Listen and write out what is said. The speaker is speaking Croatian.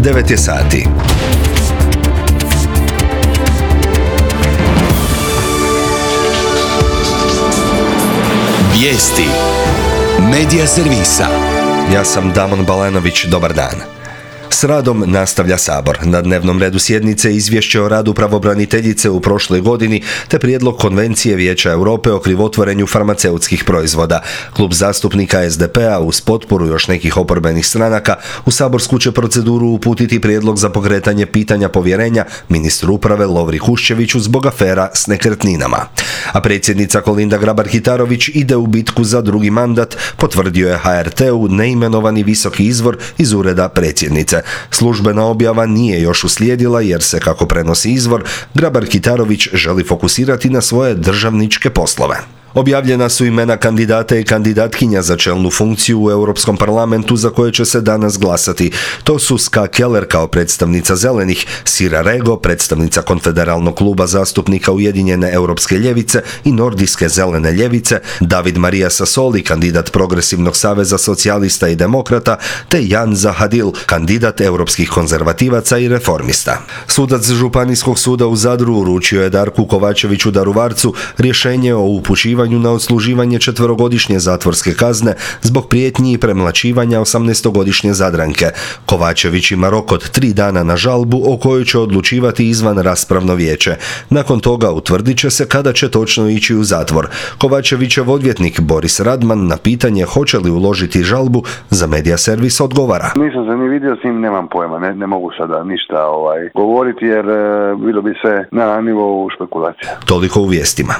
9 je sati. Vijesti Medija servisa. Ja sam Damon Balanović, dobar dan. S radom nastavlja Sabor. Na dnevnom redu sjednice izvješće o radu pravobraniteljice u prošloj godini te prijedlog Konvencije Vijeća Europe o krivotvorenju farmaceutskih proizvoda. Klub zastupnika SDP-a uz potporu još nekih oporbenih stranaka u saborsku će proceduru uputiti prijedlog za pokretanje pitanja povjerenja ministru uprave Lovri Kuščeviću zbog afera s nekretninama. A predsjednica Kolinda Grabar-Kitarović ide u bitku za drugi mandat, potvrdio je HRT-u neimenovani visoki izvor iz ureda predsjednice. Službena objava nije još uslijedila jer se, kako prenosi izvor, Grabar-Kitarović želi fokusirati na svoje državničke poslove. Objavljena su imena kandidata i kandidatkinja za čelnu funkciju u Europskom parlamentu za koje će se danas glasati. To su Ska Keller kao predstavnica Zelenih, Sira Rego, predstavnica Konfederalnog kluba zastupnika Ujedinjene europske ljevice i Nordijske zelene ljevice, David Maria Sassoli, kandidat Progresivnog saveza socijalista i demokrata, te Jan Zahadil, kandidat europskih konzervativaca i reformista. Sudac Županijskog suda u Zadru uručio je Darku Kovačeviću Daruvarcu rješenje o upućivanju na odsluživanje 4-godišnje zatvorske kazne zbog prijetnji i premlaćivanja 18-godišnje Zadranke. Kovačević ima rok od 3 dana na žalbu o kojoj će odlučivati izvan raspravno vijeće. Nakon toga utvrdit će se kada će točno ići u zatvor. Kovačevićev odvjetnik Boris Radman na pitanje hoće li uložiti žalbu za Medija servis odgovara. Nisam se ni vidio s njim, nemam pojma, ne mogu sada ništa govoriti jer bilo bi sve na nivou špekulacija. Toliko u vijestima.